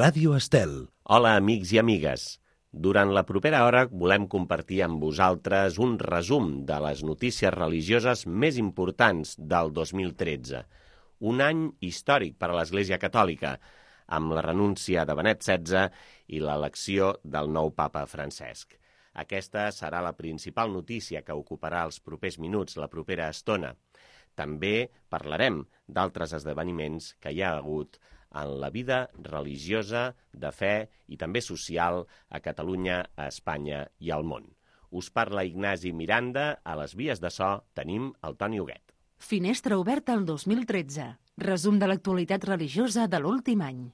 Ràdio Estel. Hola, amics i amigues. Durant la propera hora volem compartir amb vosaltres un resum de les notícies religioses més importants del 2013. Un any històric per a l'Església Catòlica, amb la renúncia de Benet XVI i l'elecció del nou papa Francesc. Aquesta serà la principal notícia que ocuparà els propers minuts, la propera estona. També parlarem d'altres esdeveniments que hi ha hagut en la vida religiosa, de fe i també social a Catalunya, a Espanya i al món. Us parla Ignasi Miranda, a les vies de so tenim el Toni Huguet. Finestra oberta al 2013. Resum de l'actualitat religiosa de l'últim any.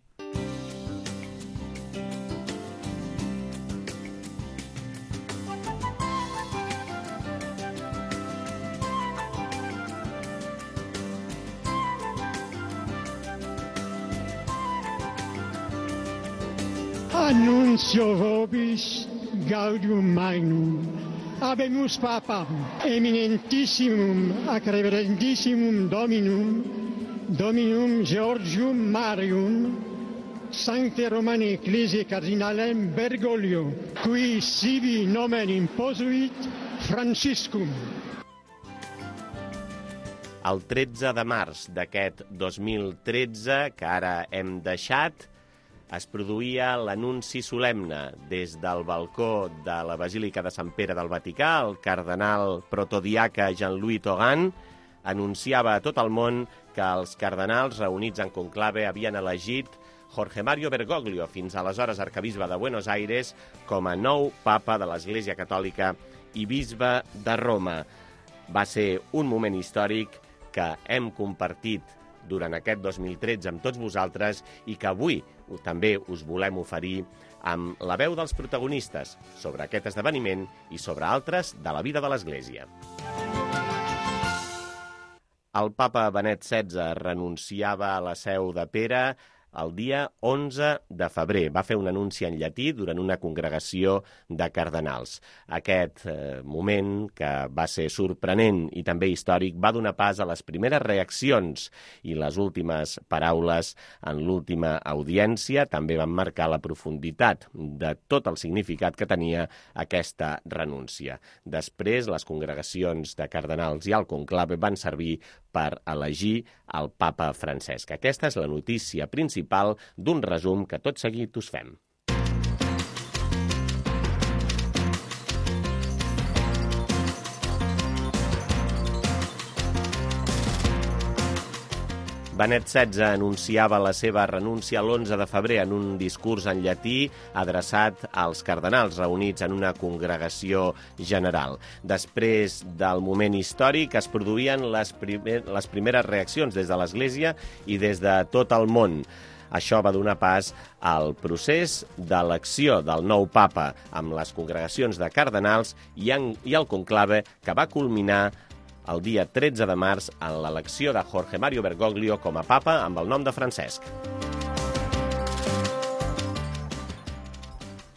Annuncio vobis gaudium magnum, habemus papam, eminentissimum ac reverendissimum Dominum Georgium Marium, Sancte Romani Ecclesiae Cardinalem Bergoglio, qui sibi nomen imposuit Franciscum. El 13 de març d'aquest 2013, que ara hem deixat, es produïa l'anunci solemne des del balcó de la Basílica de Sant Pere del Vaticà. El cardenal protodiaca Jean-Louis Tauran anunciava a tot el món que els cardenals reunits en conclave havien elegit Jorge Mario Bergoglio, fins aleshores arquebisbe de Buenos Aires, com a nou papa de l'Església Catòlica i bisbe de Roma. Va ser un moment històric que hem compartit durant aquest 2013 amb tots vosaltres i que avui també us volem oferir amb la veu dels protagonistes sobre aquest esdeveniment i sobre altres de la vida de l'Església. El papa Benet XVI renunciava a la seu de Pere el dia 11 de febrer. Va fer un anunci en llatí durant una congregació de cardenals. Aquest moment, que va ser sorprenent i també històric, va donar pas a les primeres reaccions i les últimes paraules en l'última audiència també van marcar la profunditat de tot el significat que tenia aquesta renúncia. Després, les congregacions de cardenals i el conclave van servir per elegir el papa Francesc. Aquesta és la notícia principal d'un resum que tot seguit us fem. Benet XVI anunciava la seva renúncia l'11 de febrer en un discurs en llatí adreçat als cardenals reunits en una congregació general. Després del moment històric es produïen les primeres reaccions des de l'Església i des de tot el món. Això va donar pas al procés d'elecció del nou papa amb les congregacions de cardenals i el conclave, que va culminar el dia 13 de març en l'elecció de Jorge Mario Bergoglio com a papa amb el nom de Francesc.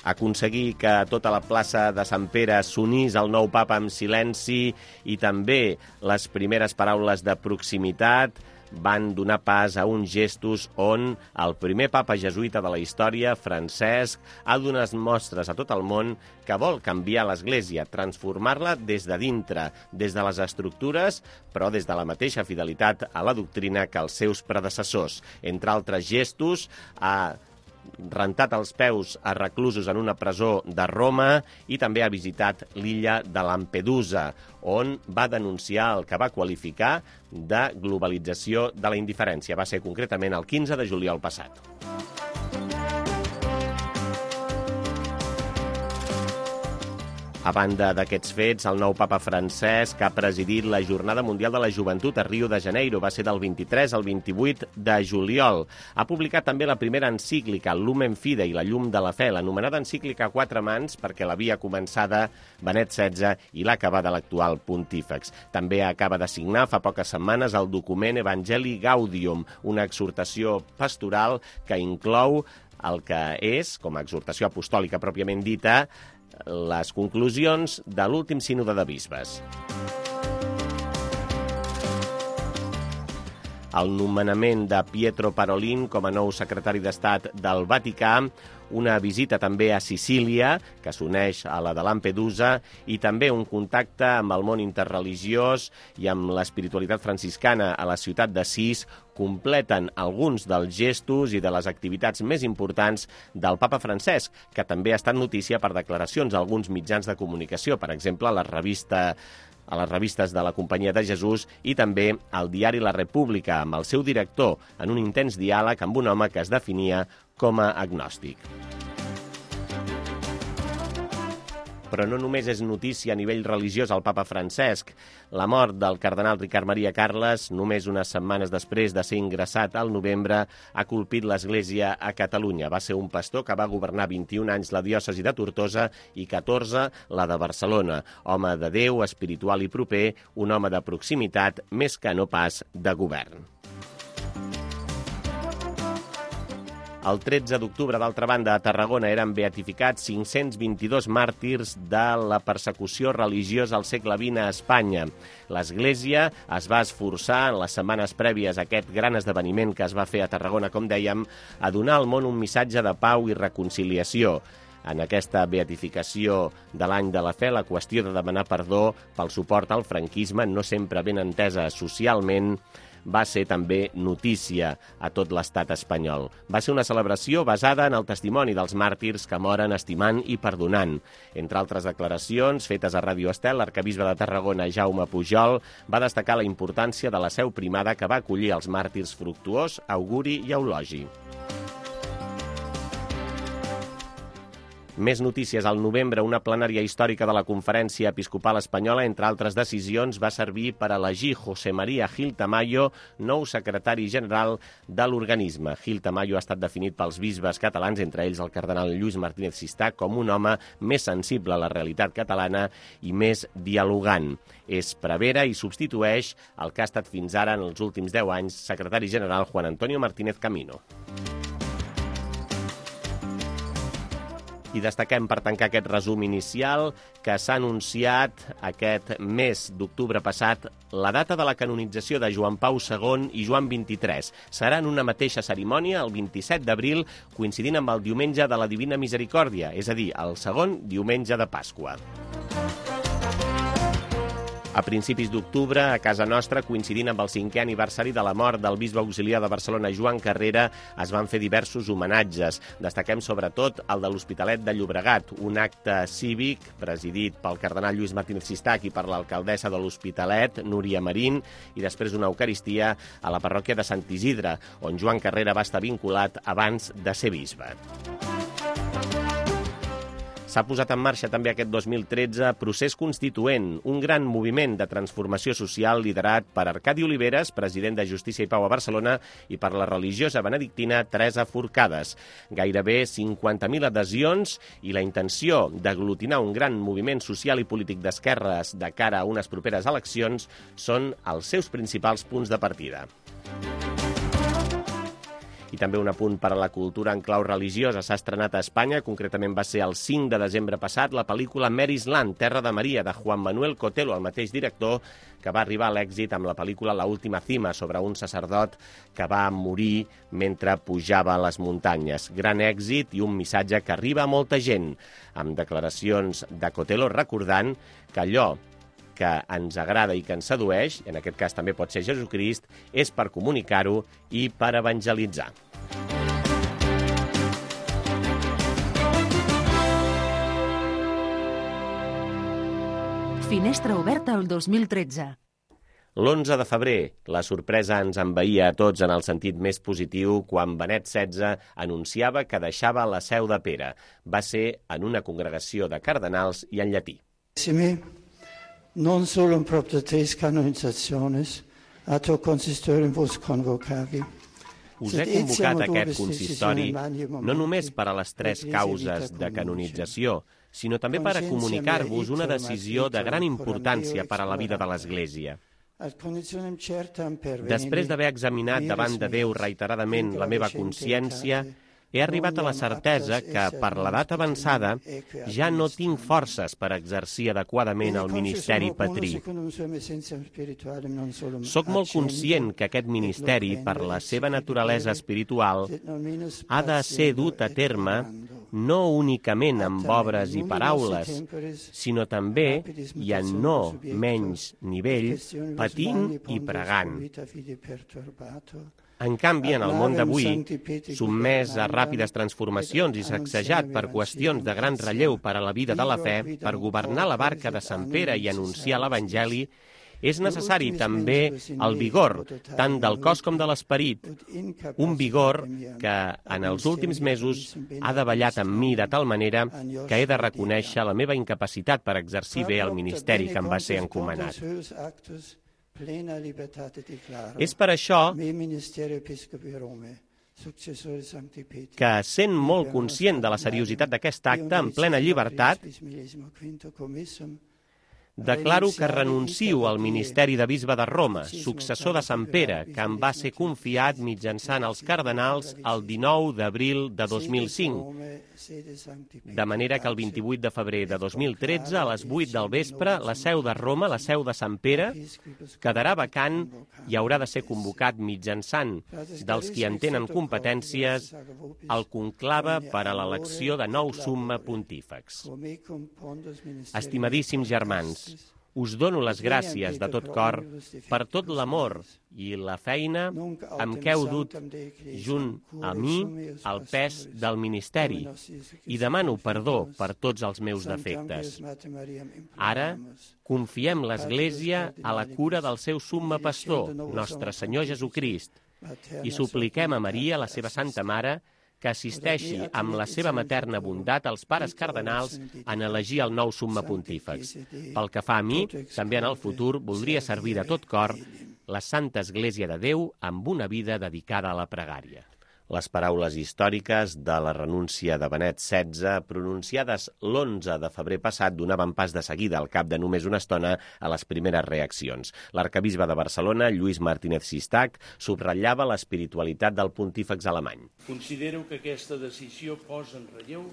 Aconseguir que tota la plaça de Sant Pere s'unís al nou papa amb silenci i també les primeres paraules de proximitat van donar pas a uns gestos on el primer papa jesuïta de la història, Francesc, ha donat mostres a tot el món que vol canviar l'Església, transformar-la des de dintre, des de les estructures, però des de la mateixa fidelitat a la doctrina que els seus predecessors. Entre altres gestos, ha rentat els peus a reclusos en una presó de Roma i també ha visitat l'illa de Lampedusa, on va denunciar el que va qualificar de globalització de la indiferència. Va ser concretament el 15 de juliol passat. A banda d'aquests fets, el nou papa Francesc ha presidit la Jornada Mundial de la Joventut a Rio de Janeiro. Va ser del 23 al 28 de juliol. Ha publicat també la primera encíclica, Lumen Fidei, la llum de la fe, l'anomenada encíclica a quatre mans, perquè l'havia començada Benet XVI i l'ha acabada l'actual pontífex. També acaba de signar fa poques setmanes el document Evangelii Gaudium, una exhortació pastoral que inclou el que és, com a exhortació apostòlica pròpiament dita, les conclusions de l'últim sínode de bisbes. el nomenament de Pietro Parolin com a nou secretari d'Estat del Vaticà, una visita també a Sicília, que s'uneix a la de Lampedusa, i també un contacte amb el món interreligiós i amb l'espiritualitat franciscana a la ciutat d'Assís, completen alguns dels gestos i de les activitats més importants del papa Francesc, que també ha estat notícia per declaracions a alguns mitjans de comunicació, per exemple, a les revistes de la Companyia de Jesús i també al diari La República, amb el seu director, en un intens diàleg amb un home que es definia com a agnòstic. Però no només és notícia a nivell religiós el papa Francesc. La mort del cardenal Ricard Maria Carles, només unes setmanes després de ser ingressat al novembre, ha colpit l'Església a Catalunya. Va ser un pastor que va governar 21 anys la diòcesi de Tortosa i 14 la de Barcelona. Home de Déu, espiritual i proper, un home de proximitat, més que no pas de govern. El 13 d'octubre, d'altra banda, a Tarragona eren beatificats 522 màrtirs de la persecució religiosa al segle XX a Espanya. L'Església es va esforçar en les setmanes prèvies a aquest gran esdeveniment que es va fer a Tarragona, com dèiem, a donar al món un missatge de pau i reconciliació. En aquesta beatificació de l'any de la fe, la qüestió de demanar perdó pel suport al franquisme, no sempre ben entesa socialment, va ser també notícia a tot l'estat espanyol. Va ser una celebració basada en el testimoni dels màrtirs que moren estimant i perdonant. Entre altres declaracions fetes a Ràdio Estel, l'arquebisbe de Tarragona, Jaume Pujol, va destacar la importància de la seu primada que va acollir els màrtirs Fructuós, Auguri i Eulogi. Més notícies. Al novembre, una plenària històrica de la Conferència Episcopal Espanyola, entre altres decisions, va servir per elegir José María Gil Tamayo, nou secretari general de l'organisme. Gil Tamayo ha estat definit pels bisbes catalans, entre ells el cardenal Lluís Martínez Sistà, com un home més sensible a la realitat catalana i més dialogant. És prevere i substitueix el que ha estat fins ara, en els últims 10 anys, secretari general Juan Antonio Martínez Camino. I destaquem, per tancar aquest resum inicial, que s'ha anunciat aquest mes d'octubre passat la data de la canonització de Joan Pau II i Joan XXIII. Serà en una mateixa cerimònia, el 27 d'abril, coincidint amb el diumenge de la Divina Misericòrdia, és a dir, el segon diumenge de Pasqua. A principis d'octubre, a casa nostra, coincidint amb el 5è aniversari de la mort del bisbe auxiliar de Barcelona, Joan Carrera, es van fer diversos homenatges. Destaquem sobretot el de l'Hospitalet de Llobregat, un acte cívic presidit pel cardenal Lluís Martínez Sistà i per l'alcaldessa de l'Hospitalet, Núria Marín, i després una eucaristia a la parròquia de Sant Isidre, on Joan Carrera va estar vinculat abans de ser bisbe. S'ha posat en marxa també aquest 2013 Procés Constituent, un gran moviment de transformació social liderat per Arcadi Oliveres, president de Justícia i Pau a Barcelona, i per la religiosa benedictina Teresa Forcades. Gairebé 50.000 adhesions i la intenció d'aglutinar un gran moviment social i polític d'esquerres de cara a unes properes eleccions són els seus principals punts de partida. I també un apunt per a la cultura en clau religiosa. S'ha estrenat a Espanya, concretament va ser el 5 de desembre passat, la pel·lícula Mary's Land, Terra de Maria, de Juan Manuel Cotelo, el mateix director que va arribar a l'èxit amb la pel·lícula La última cima, sobre un sacerdot que va morir mentre pujava a les muntanyes. Gran èxit i un missatge que arriba a molta gent, amb declaracions de Cotelo recordant que allò que ens agrada i que ens sedueix, en aquest cas també pot ser Jesucrist, és per comunicar-ho i per evangelitzar. Finestra oberta el 2013. L'11 de febrer, la sorpresa ens envaïa a tots en el sentit més positiu quan Benet XVI anunciava que deixava la Seu de Pere. Va ser en una congregació de cardenals i en llatí. Non solo in proprio tres canonizzaciones, atto consistorium vos convocavi. Us he convocat a aquest consistori no només per a les 3 causes de canonització, sinó també per a comunicar-vos una decisió de gran importància per a la vida de l'Església. Després d'haver examinat davant de Déu reiteradament la meva consciència, he arribat a la certesa que, per l'edat avançada, ja no tinc forces per exercir adequadament el ministeri patrí. Soc molt conscient que aquest ministeri, per la seva naturalesa espiritual, ha de ser dut a terme no únicament amb obres i paraules, sinó també, i en no menys nivell, patint i pregant. En canvi, en el món d'avui, sotmès a ràpides transformacions i sacsejat per qüestions de gran relleu per a la vida de la fe, per governar la barca de Sant Pere i anunciar l'Evangeli, és necessari també el vigor, tant del cos com de l'esperit, un vigor que en els últims mesos ha davallat en mi de tal manera que he de reconèixer la meva incapacitat per exercir bé el ministeri que em va ser encomanat. És per això que, sent molt conscient de la seriositat d'aquest acte, en plena llibertat, declaro que renuncio al ministeri de bisbe de Roma, successor de Sant Pere, que em va ser confiat mitjançant els cardenals el 19 d'abril de 2005, de manera que el 28 de febrer de 2013, a les 8 del vespre, la seu de Roma, la seu de Sant Pere, quedarà vacant i haurà de ser convocat mitjançant dels qui en tenen competències el conclave per a l'elecció de nou summa pontífex. Estimadíssims germans, us dono les gràcies de tot cor per tot l'amor i la feina amb què heu dut junt a mi el pes del ministeri i demano perdó per tots els meus defectes. Ara confiem l'Església a la cura del seu summa pastor, nostre Senyor Jesucrist, i supliquem a Maria, la seva Santa Mare, que assisteixi amb la seva materna bondat als pares cardenals en elegir el nou summa pontífex. Pel que fa a mi, també en el futur voldria servir de tot cor la Santa Església de Déu amb una vida dedicada a la pregària. Les paraules històriques de la renúncia de Benet XVI, pronunciades l'11 de febrer passat, donaven pas de seguida, al cap de només una estona, a les primeres reaccions. L'arcabisbe de Barcelona, Lluís Martínez Sistac, subratllava l'espiritualitat del pontífex alemany. Considero que aquesta decisió posa en relleu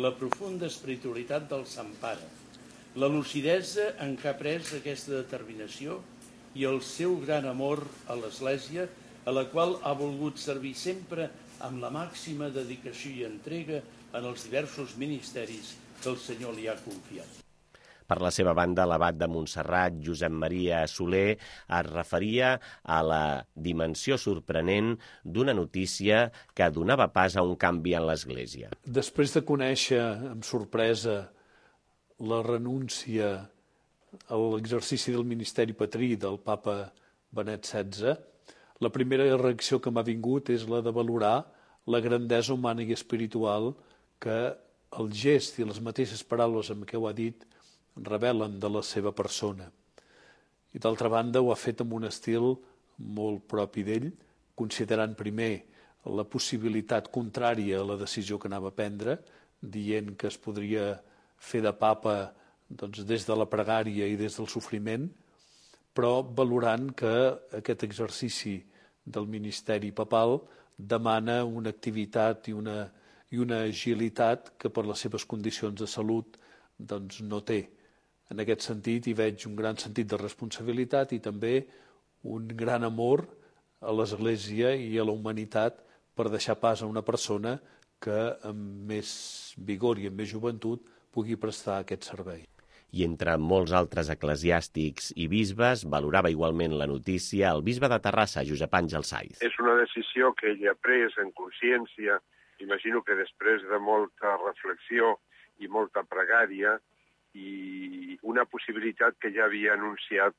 la profunda espiritualitat del Sant Pare, la lucidesa en què ha pres aquesta determinació i el seu gran amor a l'Església, a la qual ha volgut servir sempre amb la màxima dedicació i entrega en els diversos ministeris que el Senyor li ha confiat. Per la seva banda, l'abat de Montserrat, Josep Maria Soler, es referia a la dimensió sorprenent d'una notícia que donava pas a un canvi en l'Església. Després de conèixer amb sorpresa la renúncia a l'exercici del ministeri patrí del papa Benet XVI, la primera reacció que m'ha vingut és la de valorar la grandesa humana i espiritual que el gest i les mateixes paraules amb què ho ha dit revelen de la seva persona. I d'altra banda ho ha fet amb un estil molt propi d'ell, considerant primer la possibilitat contrària a la decisió que anava a prendre, dient que es podria fer de papa des de la pregària i des del sofriment, però valorant que aquest exercici del ministeri papal demana una activitat i una agilitat que per les seves condicions de salut no té. En aquest sentit hi veig un gran sentit de responsabilitat i també un gran amor a l'Església i a la humanitat per deixar pas a una persona que amb més vigor i amb més joventut pugui prestar aquest servei. I entre molts altres eclesiàstics i bisbes valorava igualment la notícia el bisbe de Terrassa, Josep Àngel Saiz. És una decisió que ell ha pres en consciència, imagino que després de molta reflexió i molta pregària, i una possibilitat que ja havia anunciat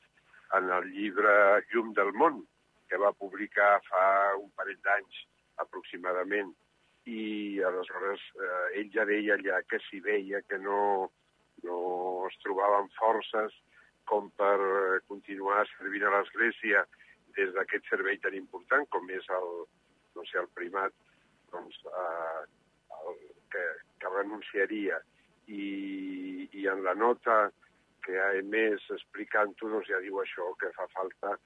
en el llibre Llum del món, que va publicar fa un parell d'anys aproximadament. I aleshores ell ja deia allà que s'hi veia que no es trobaven forces com per continuar servint a l'Església des d'aquest servei tan important com és el primat que renunciaria. I en la nota que ha emès explicant-ho ja diu això, que fa falta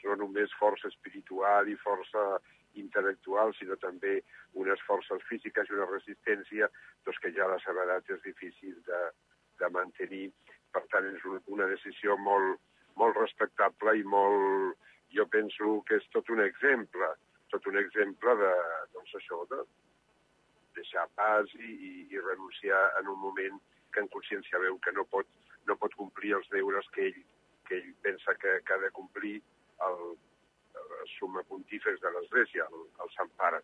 no només força espiritual i força intel·lectual, sinó també unes forces físiques i una resistència doncs que ja a la seva edat és difícil de mantenir. Per tant, és una decisió molt respectable i molt, jo penso que és tot un exemple de, doncs això, de deixar pas i renunciar en un moment que en consciència veu que no pot complir els deures que ell pensa que ha de complir el summe pontífex de l'Església, el Sant Pare.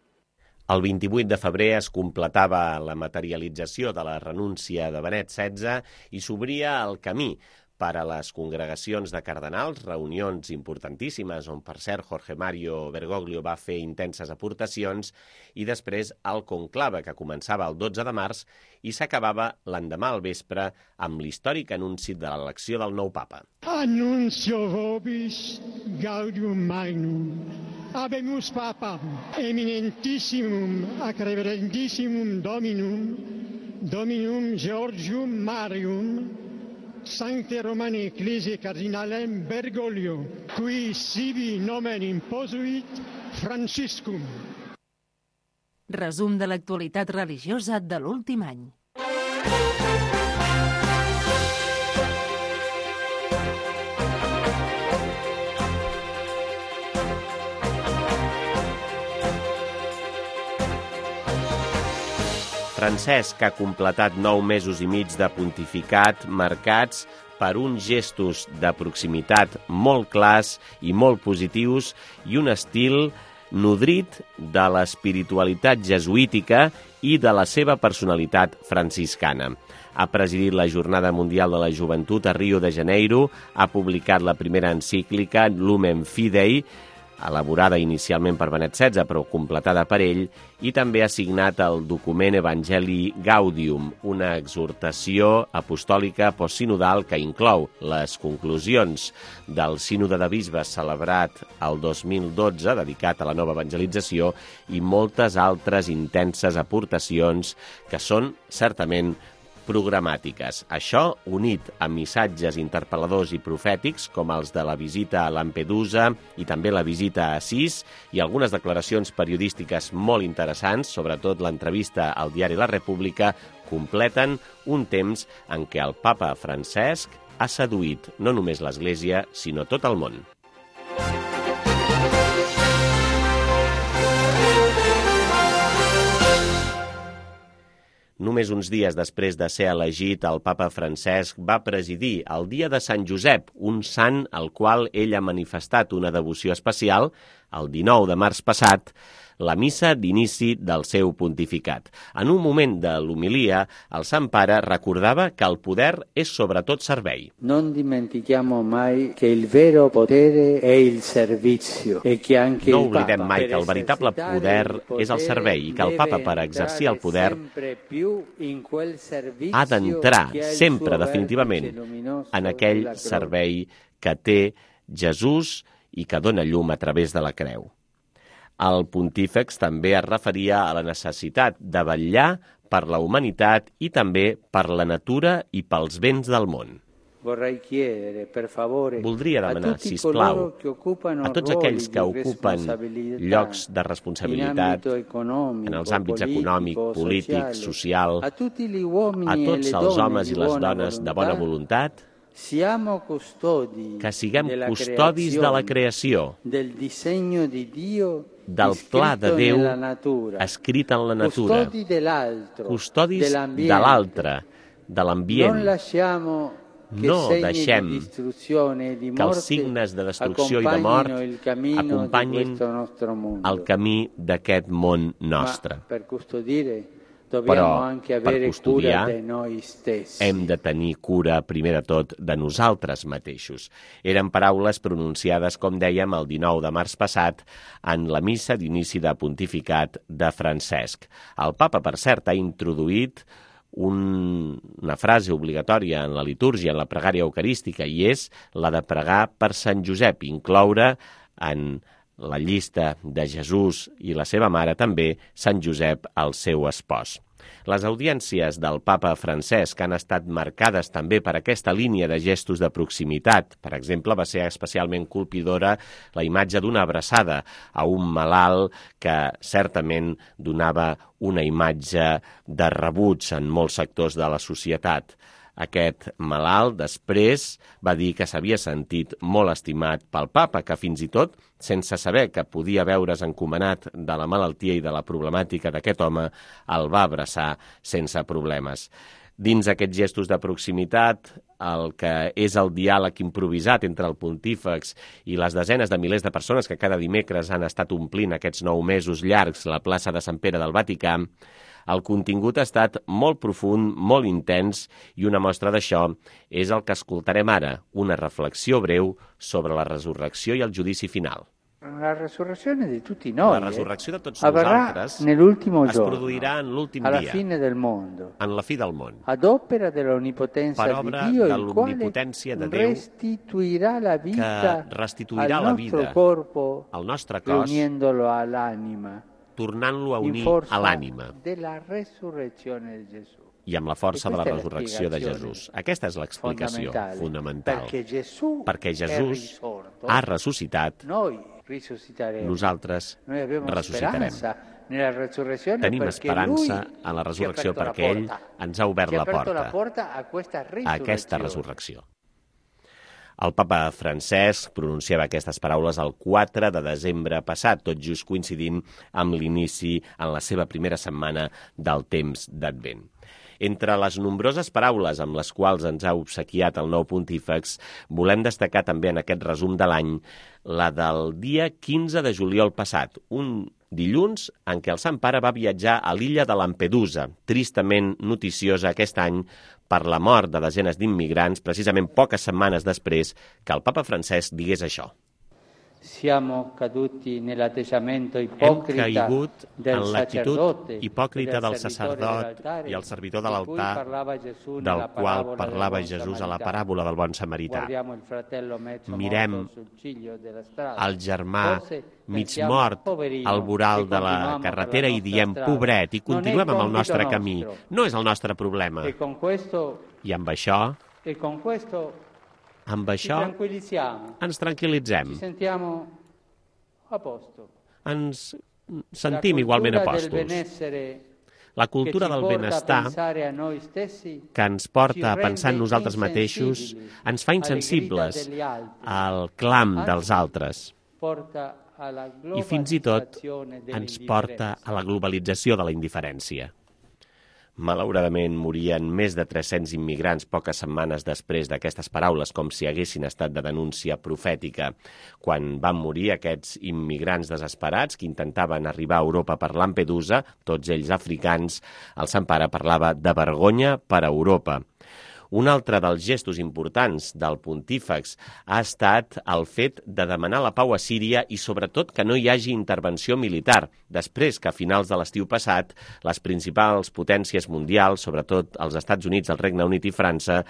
El 28 de febrer es completava la materialització de la renúncia de Benet XVI i s'obria el camí per a les congregacions de cardenals, reunions importantíssimes on, per cert, Jorge Mario Bergoglio va fer intenses aportacions, i després el conclave, que començava el 12 de març i s'acabava l'endemà al vespre amb l'històric anunci de l'elecció del nou papa. Annuncio vobis gaudium magnum. Habemus papam eminentissimum ac reverendissimum Dominum Georgium Marium, Sancte Romani Ecclesiae Cardinalem Bergoglio, qui sibi nomen imposuit Franciscum. Resum de l'actualitat religiosa de l'últim any. Francesc ha completat 9 mesos i mig de pontificat marcats per uns gestos de proximitat molt clars i molt positius i un estil nodrit de l'espiritualitat jesuítica i de la seva personalitat franciscana. Ha presidit la Jornada Mundial de la Joventut a Rio de Janeiro, ha publicat la primera encíclica Lumen Fidei, elaborada inicialment per Benet XVI, però completada per ell, i també ha signat el document Evangelii Gaudium, una exhortació apostòlica postsinodal que inclou les conclusions del Sínode de Bisbes celebrat el 2012, dedicat a la nova evangelització, i moltes altres intenses aportacions que són certament programàtiques. Això, unit a missatges interpel·ladors i profètics, com els de la visita a Lampedusa i també la visita a Assís, i algunes declaracions periodístiques molt interessants, sobretot l'entrevista al diari La República, completen un temps en què el papa Francesc ha seduït no només l'Església, sinó tot el món. Només uns dies després de ser elegit, el papa Francesc va presidir el dia de Sant Josep, un sant al qual ell ha manifestat una devoció especial, el 19 de març passat, la missa d'inici del seu pontificat. En un moment de l'homilia, el Sant Pare recordava que el poder és sobretot servei. Non dimentichiamo mai che il vero potere è il servizio e che anche il Papa. No oblidem mai que el veritable poder és el servei i que el Papa, per exercir el poder, ha d'entrar sempre definitivament en aquell servei que té Jesús i que dona llum a través de la creu. El pontífex també es referia a la necessitat de vetllar per la humanitat i també per la natura i pels béns del món. Voldria demanar, sisplau, a tots aquells que ocupen llocs de responsabilitat en els àmbits econòmic, polític, social, a tots els homes i les dones de bona voluntat, que siguem custodis de la creació, del pla de Déu escrit en la natura, custodis de l'altre, de l'ambient. No deixem que els signes de destrucció i de mort acompanyin el camí d'aquest món nostre. Però per custodiar hem de tenir cura, primer de tot, de nosaltres mateixos. Eren paraules pronunciades, com dèiem, el 19 de març passat en la missa d'inici de pontificat de Francesc. El papa, per cert, ha introduït una frase obligatòria en la litúrgia, en la pregària eucarística, i és la de pregar per Sant Josep, incloure en la llista de Jesús i la seva mare també Sant Josep, el seu espòs. Les audiències del papa Francesc han estat marcades també per aquesta línia de gestos de proximitat. Per exemple, va ser especialment colpidora la imatge d'una abraçada a un malalt que certament donava una imatge de rebuig en molts sectors de la societat. Aquest malalt després va dir que s'havia sentit molt estimat pel papa, que fins i tot, sense saber que podia veure's encomanat de la malaltia i de la problemàtica d'aquest home, el va abraçar sense problemes. Dins aquests gestos de proximitat, el que és el diàleg improvisat entre el pontífex i les desenes de milers de persones que cada dimecres han estat omplint aquests 9 mesos llargs la plaça de Sant Pere del Vaticà, el contingut ha estat molt profund, molt intens, i una mostra d'això és el que escoltarem ara, una reflexió breu sobre la resurrecció i el judici final. La resurrezione di tutti noi La resurrecció de tots avverrà nosaltres nell'ultimo es giorno, produirà en l'últim alla dia, fine del mondo, en la fi del món, ad opera dell'onnipotenza per di obra Dio, de il quale l'omnipotència de Déu, restituirà la vita que restituirà al la nostro vida corpo, al nostre cos, riuniendolo all'anima, tornant-lo a in unir forza a l'ànima della resurrezione di Gesù. i amb la força de la Questa è la resurrecció de spiegazione Jesús. Aquesta és l'explicació fonamental. Perquè Gesús ha ressuscitat, noi risusciteremo. nosaltres Noi abbiamo ressuscitarem. speranza nella resurrezione Tenim perché esperança lui en la resurrecció ci ha aperto perquè la ell porta. ens ha obert Ci ha la aperto la porta porta a aquesta a resurrecció. El papa Francesc pronunciava aquestes paraules el 4 de desembre passat, tot just coincidint amb l'inici en la seva primera setmana del temps d'Advent. Entre les nombroses paraules amb les quals ens ha obsequiat el nou pontífex, volem destacar també en aquest resum de l'any la del dia 15 de juliol passat, un dilluns en què el Sant Pare va viatjar a l'illa de Lampedusa, tristament noticiosa aquest any per la mort de desenes d'immigrants, precisament poques setmanes després que el papa Francesc digués això. Siamo caduti nell'atteggiamento Hem ipocrita caigut del en l'actitud sacerdote hipòcrita e del sacerdot i el servidor de l'altar, del qual parlava Jesús a la paràbola del bon samarità. Mirem el germà mig mort al voral de la carretera i diem pobret i continuem amb el nostre camí. No és el nostre problema. I amb això ens tranquil·litzem. Ens sentim igualment apòstols. La cultura del benestar que ens porta a pensar en nosaltres mateixos ens fa insensibles al clam dels altres i fins i tot ens porta a la globalització de la indiferència. Malauradament, morien més de 300 immigrants poques setmanes després d'aquestes paraules, com si haguessin estat de denúncia profètica. Quan van morir aquests immigrants desesperats que intentaven arribar a Europa per Lampedusa, tots ells africans, el Sant Pare parlava de vergonya per a Europa. Un altre dels gestos importants del pontífex ha estat el fet de demanar la pau a Síria i sobretot que no hi hagi intervenció militar, després que a finals de l'estiu passat les principals potències mundials, sobretot els Estats Units, el Regne Unit i França,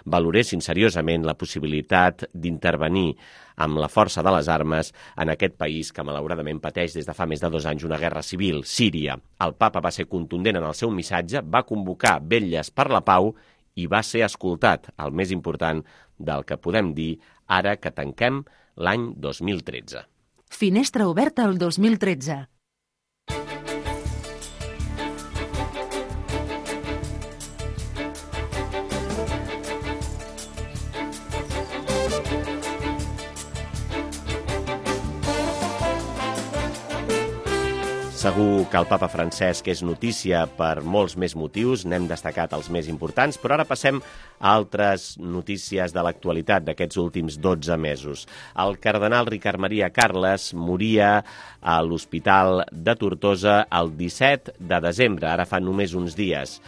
valoressin seriosament la possibilitat d'intervenir amb la força de les armes en aquest país que malauradament pateix des de fa més de 2 anys una guerra civil, Síria. El papa va ser contundent en el seu missatge, va convocar vetlles per la pau i va ser escoltat, el més important del que podem dir ara que tanquem l'any 2013. Finestra oberta al 2013. Segur que el papa Francesc és notícia per molts més motius, n'hem destacat els més importants, però ara passem a altres notícies de l'actualitat d'aquests últims 12 mesos. El cardenal Ricard Maria Carles moria a l'Hospital de Tortosa el 17 de desembre, ara fa només uns dies.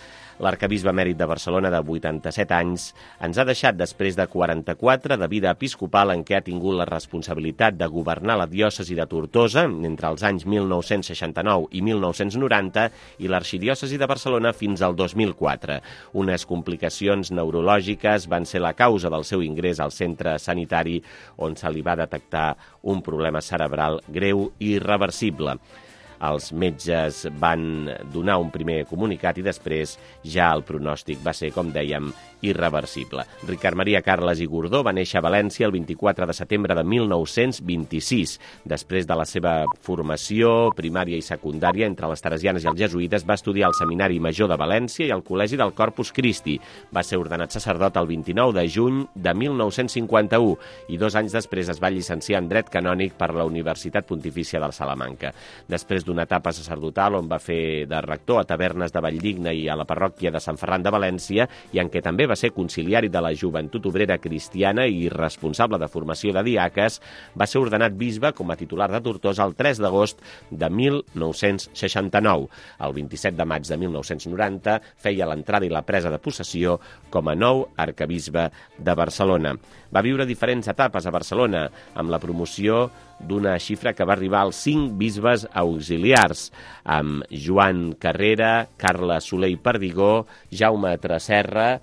L'arcabisbe emèrit de Barcelona, de 87 anys, ens ha deixat després de 44 de vida episcopal en què ha tingut la responsabilitat de governar la diòcesi de Tortosa entre els anys 1969 i 1990 i l'arxidiòcesi de Barcelona fins al 2004. Unes complicacions neurològiques van ser la causa del seu ingrés al centre sanitari on se li va detectar un problema cerebral greu i irreversible. Els metges van donar un primer comunicat i després ja el pronòstic va ser, com dèiem, irreversible. Ricard Maria Carles i Gordó va néixer a València el 24 de setembre de 1926. Després de la seva formació primària i secundària entre les teresianes i els jesuïtes, va estudiar al Seminari Major de València i al Col·legi del Corpus Christi. Va ser ordenat sacerdot el 29 de juny de 1951 i 2 anys després es va llicenciar en Dret Canònic per la Universitat Pontifícia de Salamanca. Després d'una etapa sacerdotal on va fer de rector a Tavernes de Valldigna i a la parròquia de Sant Ferran de València i en què també va ser conciliari de la Joventut Obrera Cristiana i responsable de formació de diaques, va ser ordenat bisbe com a titular de Tortosa el 3 d'agost de 1969. El 27 de maig de 1990 feia l'entrada i la presa de possessió com a nou arquebisbe de Barcelona. Va viure diferents etapes a Barcelona, amb la promoció d'una xifra que va arribar als 5 bisbes auxiliars, amb Joan Carrera, Carla Soler i Perdigó, Jaume Tresserra,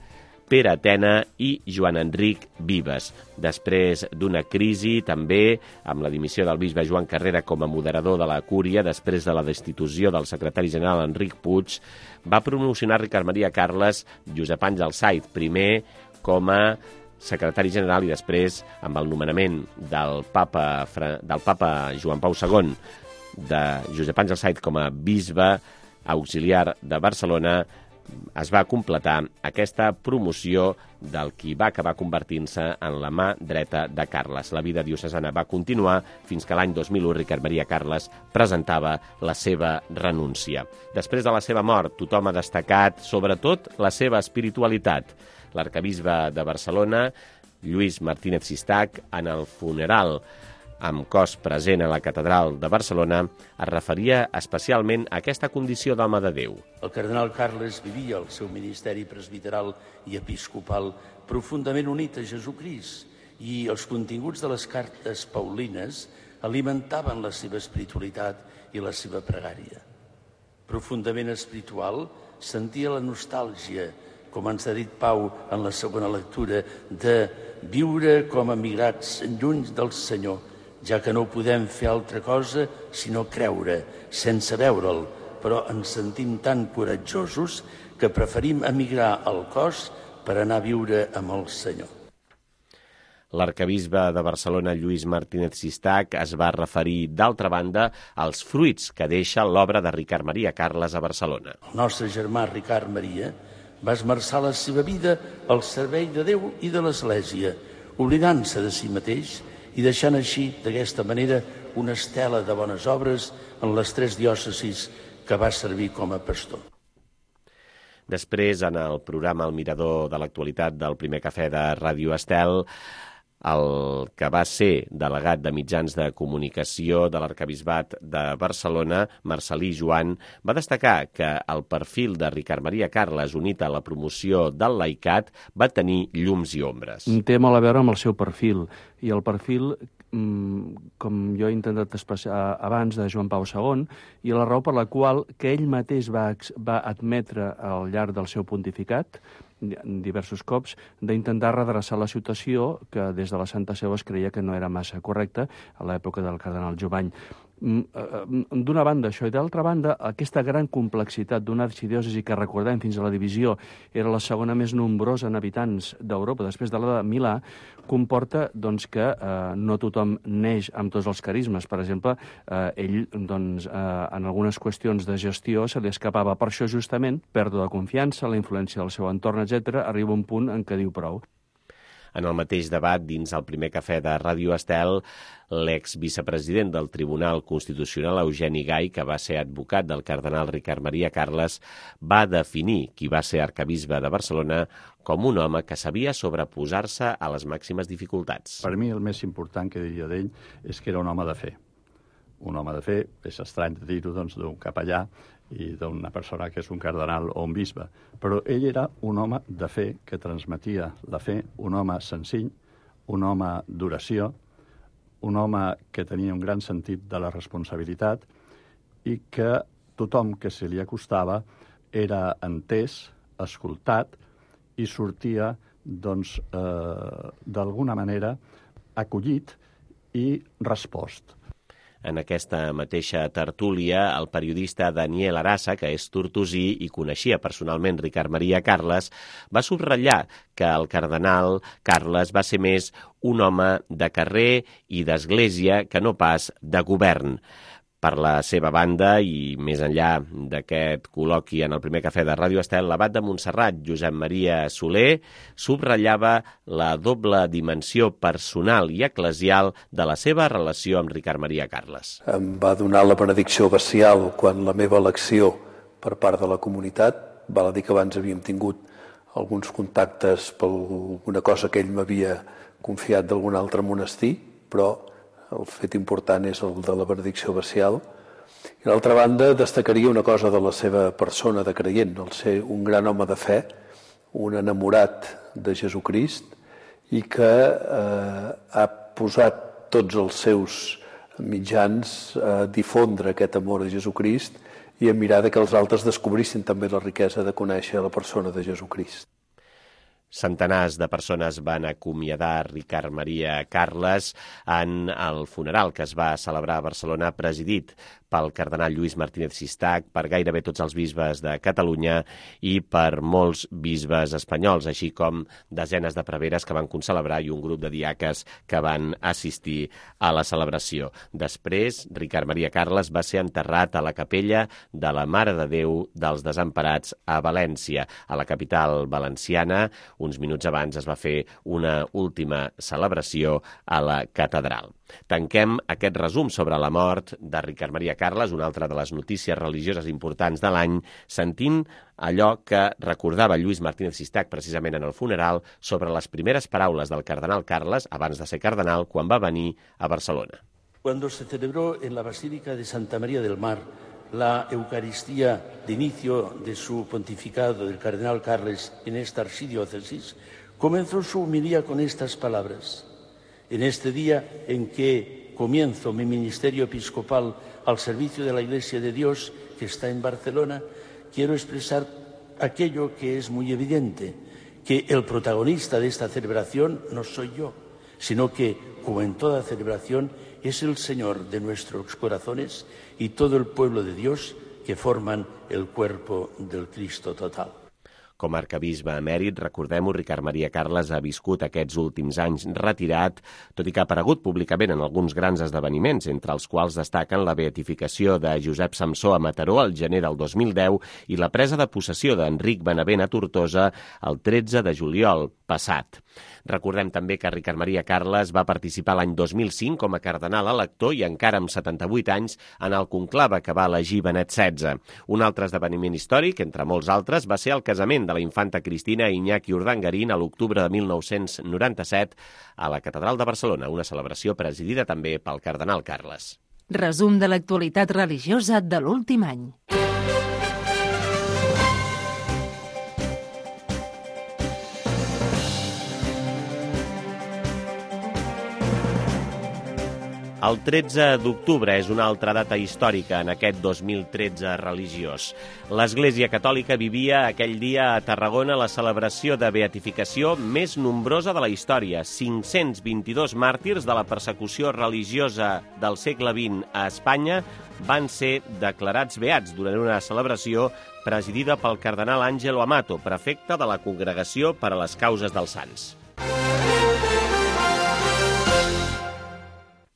Pere Atena i Joan Enric Vives. Després d'una crisi, també, amb la dimissió del bisbe Joan Carrera com a moderador de la Cúria, després de la destitució del secretari general Enric Puig, va promocionar Ricard Maria Carles Josep Àngel Saiz, primer com a secretari general i després, amb el nomenament del papa Joan Pau II, de Josep Àngel Saiz com a bisbe auxiliar de Barcelona, es va completar aquesta promoció del qui va acabar convertint-se en la mà dreta de Carles. La vida diocesana va continuar fins que l'any 2001 Ricard Maria Carles presentava la seva renúncia. Després de la seva mort, tothom ha destacat, sobretot, la seva espiritualitat. L'arquebisbe de Barcelona, Lluís Martínez Sistac, en el funeral amb cos present a la catedral de Barcelona, es referia especialment a aquesta condició d'home de Déu. El cardenal Carles vivia el seu ministeri presbiteral i episcopal profundament unit a Jesucrist i els continguts de les cartes paulines alimentaven la seva espiritualitat i la seva pregària. Profundament espiritual, sentia la nostàlgia, com ens ha dit Pau en la segona lectura, de viure com a migrats lluny del Senyor, ja que no podem fer altra cosa sinó creure, sense veure'l, però ens sentim tan coratjosos que preferim emigrar al cos per anar a viure amb el Senyor. L'arquebisbe de Barcelona, Lluís Martínez Sistac, es va referir, d'altra banda, als fruits que deixa l'obra de Ricard Maria Carles a Barcelona. El nostre germà Ricard Maria va esmerçar la seva vida al servei de Déu i de l'Església, oblidant-se de si mateix i deixant així, d'aquesta manera, una estela de bones obres en les 3 diòcesis que va servir com a pastor. Després, en el programa El Mirador de l'actualitat del primer cafè de Ràdio Estel, el que va ser delegat de mitjans de comunicació de l'Arquebisbat de Barcelona, Marcelí Joan, va destacar que el perfil de Ricard Maria Carles, unit a la promoció del laicat, va tenir llums i ombres. Té molt a veure amb el seu perfil, i el perfil, com jo he intentat expressar abans, de Joan Pau II, i la raó per la qual que ell mateix va admetre al llarg del seu pontificat, diversos cops, d'intentar redreçar la situació que des de la Santa Seu es creia que no era massa correcta a l'època del cardenal Jovany. D'una banda això, i d'altra banda aquesta gran complexitat d'una arxidiòcesi que, recordem, fins a la divisió era la segona més nombrosa en habitants d'Europa després de la de Milà, comporta que no tothom neix amb tots els carismes. Per exemple, ell en algunes qüestions de gestió se li escapava. Per això justament pèrdua de confiança, la influència del seu entorn, etc. Arriba un punt en què diu prou. En el mateix debat, dins el primer cafè de Ràdio Estel, l'exvicepresident del Tribunal Constitucional, Eugeni Gai, que va ser advocat del cardenal Ricard Maria Carles, va definir qui va ser arquebisbe de Barcelona com un home que sabia sobreposar-se a les màximes dificultats. Per mi el més important que diria d'ell és que era un home de fe. Un home de fe, és estrany de dir-ho d'un capellà i d'una persona que és un cardenal o un bisbe, però ell era un home de fe que transmetia la fe, un home senzill, un home d'oració, un home que tenia un gran sentit de la responsabilitat i que tothom que se li acostava era entès, escoltat i sortia, d'alguna manera, acollit i respost. en aquesta mateixa tertúlia el periodista Daniel Arassa, que és tortosí i coneixia personalment Ricard Maria Carles, va subratllar que el cardenal Carles va ser més un home de carrer i d'església que no pas de govern. Per la seva banda, i més enllà d'aquest col·loqui en el primer cafè de Ràdio Estel, l'abat de Montserrat, Josep Maria Soler, subratllava la doble dimensió personal i eclesial de la seva relació amb Ricard Maria Carles. Em va donar la benedicció abacial quan la meva elecció per part de la comunitat. Val a dir que abans havíem tingut alguns contactes per alguna cosa que ell m'havia confiat d'algun altre monestir, però el fet important és el de la benedicció abacial. I d'altra banda, destacaria una cosa de la seva persona de creient, el ser un gran home de fe, un enamorat de Jesucrist i que ha posat tots els seus mitjans a difondre aquest amor a Jesucrist i a mirar que els altres descobrissin també la riquesa de conèixer la persona de Jesucrist. Centenars de persones van acomiadar Ricard Maria Carles en el funeral que es va celebrar a Barcelona, presidit pel cardenal Lluís Martínez Sistac, per gairebé tots els bisbes de Catalunya i per molts bisbes espanyols, així com desenes de preveres que van concelebrar i un grup de diaques que van assistir a la celebració. Després, Ricard Maria Carles va ser enterrat a la capella de la Mare de Déu dels Desemparats a València, a la capital valenciana. Uns minuts abans es va fer una última celebració a la catedral. Tanquem aquest resum sobre la mort de Ricard Maria Carles, una altra de les notícies religioses importants de l'any, sentint allò que recordava Lluís Martínez Sistac precisament en el funeral sobre les primeres paraules del cardenal Carles, abans de ser cardenal, quan va venir a Barcelona. Cuando se celebró en la Basílica de Santa María del Mar la Eucaristía de inicio de su pontificado del cardenal Carles en esta archidiócesis, comenzó su homilía con estas palabras. En este día en que comienzo mi ministerio episcopal al servicio de la Iglesia de Dios que está en Barcelona, quiero expresar aquello que es muy evidente, que el protagonista de esta celebración no soy yo, sino que, como en toda celebración, es el Señor de nuestros corazones y todo el pueblo de Dios que forman el cuerpo del Cristo total. Com a arquebisbe emèrit, recordem-ho, Ricard Maria Carles ha viscut aquests últims anys retirat, tot i que ha aparegut públicament en alguns grans esdeveniments, entre els quals destaquen la beatificació de Josep Samsó a Mataró al gener del 2010 i la presa de possessió d'Enric Benavent a Tortosa el 13 de juliol passat. Recordem també que Ricard Maria Carles va participar l'any 2005 com a cardenal elector i encara amb 78 anys en el conclave que va elegir Benet XVI. Un altre esdeveniment històric, entre molts altres, va ser el casament de la infanta Cristina i Iñaki Urdangarín a l'octubre de 1997 a la Catedral de Barcelona, una celebració presidida també pel cardenal Carles. Resum de l'actualitat religiosa de l'últim any. El 13 d'octubre és una altra data històrica en aquest 2013 religiós. L'Església Catòlica vivia aquell dia a Tarragona la celebració de beatificació més nombrosa de la història. 522 màrtirs de la persecució religiosa del segle XX a Espanya van ser declarats beats durant una celebració presidida pel cardenal Ángelo Amato, prefecte de la Congregació per a les Causes dels Sants.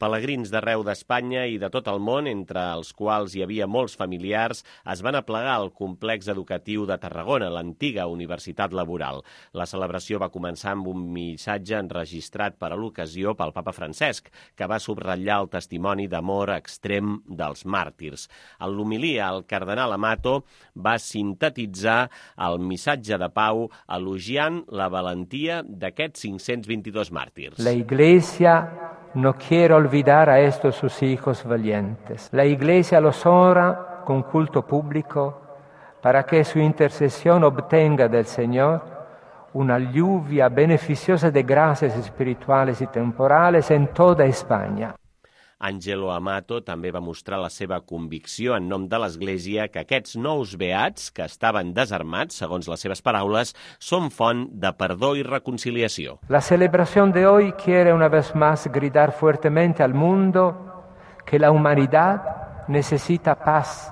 Pelegrins d'arreu d'Espanya i de tot el món, entre els quals hi havia molts familiars, es van aplegar al complex educatiu de Tarragona, l'antiga Universitat Laboral. La celebració va començar amb un missatge enregistrat per a l'ocasió pel papa Francesc, que va subratllar el testimoni d'amor extrem dels màrtirs. En l'homilia, el cardenal Amato va sintetitzar el missatge de pau elogiant la valentia d'aquests 522 màrtirs. La Iglesia no quiere olvidar a estos sus hijos valientes. La Iglesia los honra con culto público para que su intercesión obtenga del Señor una lluvia beneficiosa de gracias espirituales y temporales en toda España. Ángelo Amato també va mostrar la seva convicció en nom de l'Església que aquests nous beats, que estaven desarmats, segons les seves paraules, són font de perdó i reconciliació. La celebración de hoy quiere una vez más gritar fuertemente al mundo que la humanidad necesita paz,